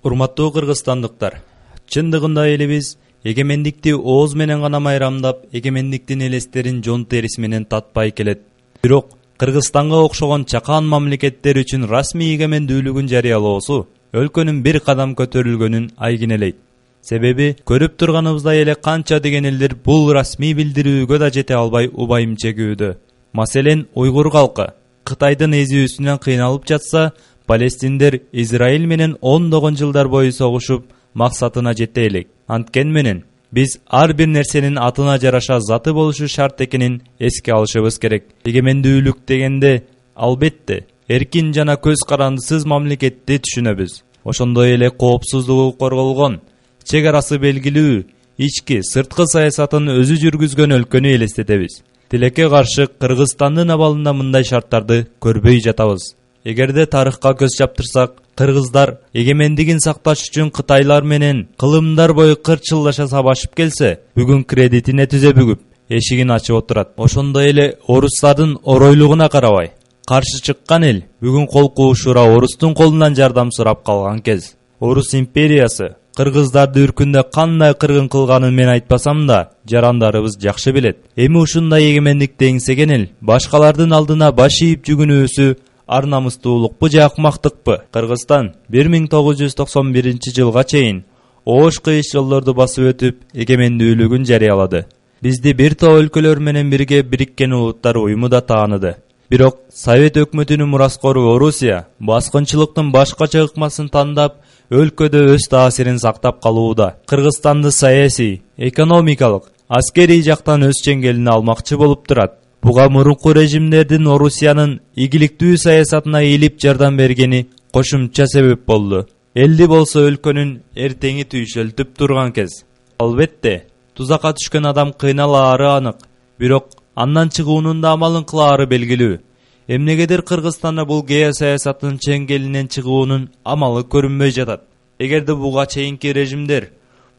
Урматтуу кыргызстандыктар, чындыгында элибиз эгемендикти ооз менен гана майрамдап, эгемендиктин элестерин жон терisi менен татпай келет. Бирок Кыргызстанга окшогон чакан мамлекеттер үчүн расмий эгемендүүлүгүн жарыялоосу өлкөнүн бир кадам көтөрүлгөнүн айгинелейт. Себеби көрүп турганыбыздай эле канча деген элдер бул расмий билдирүүгө да жете албай убайым чегүүдө. Маселен, уйгур калкы Кытайдын эзүүсүнөн кыйналып жатса, палестиндер Израиль менен ондогон жылдар бою согушуп, максатына жете элек. Анткени менен биз ар бир нерсенин атына жараша заты болушу шарт экенин эске алышыбыз керек. Эгемендүүлүк дегенде, албетте, эркин жана көз карандысыз мамлекетти түшүнөбүз. Ошондой эле коопсуздугу корголгон, чек арасы белгилүү, ички, сырткы саясатын өзү жүргүзгөн өлкөнү элестетебиз. Тилекке каршы Кыргызстандын абалында мындай шарттарды көрбөй жатабыз. Эгерде тарыхка көз чаптырсак, кыргыздар эгемендигин сакташ үчүн Кытайлар менен кылымдар бою кырчылдаша сабашып келсе, бүгүн кредитине түзө бүгүп, эшигин ачып отурат. Ошондой эле орустардын оройлугуна карабай, каршы чыккан эл бүгүн кол куушура орустун колунан жардам сурап калган кез. Орус империясы кыргыздарды үркүндө кандай кыргын кылганын мен айтпасам да, жарандарыбыз жакшы билет. Эми ушундай эгемендикти эңсеген эл башкалардын алдына баш ийип жүгүнүүсү ар намыстуулукпу же акмактыкпы? Кыргызстан 1991 жылга чейин оош кыйыш жолдорду басып өтүп, эгемендүүлүгүн жарыялады. Бизди бир топ өлкөлөр менен бирге Бириккен Улуттар уюму да тааныды. Бирок Совет өкмөтүнүн мураскору Орусия баскынчылыктын башкача ыкмасын тандап, өлкөдө өз таасирин сактап калууда. Кыргызстанды саясий, экономикалык, аскерий жактан өз чеңгелине алмакчы болуп турат. Буга мурунку режимдердин Орусиянын ийгиликтүү саясатына ийилип жардам бергени кошумча себеп болду. Элди болсо өлкөнүн эртеңи түйшөлтүп турган кез. Албетте, тузакка түшкөн адам кыйналаары анык, бирок андан чыгуунун да амалын кылаары белгилүү. Эмнегедир Кыргызстанда бул геосаясаттын чеңгелинен чыгуунун амалы көрүнбөй жатат. Эгерде буга чейинки режимдер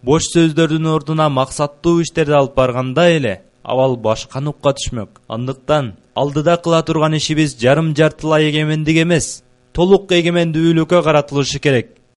бош сөздөрдүн ордуна максаттуу иштерди алып барганда эле, абал башка нукка түшмөк. Андыктан алдыда кыла турган ишибиз жарым-жартылай эгемендик эмес, толук эгемендүүлүккө каратылышы керек.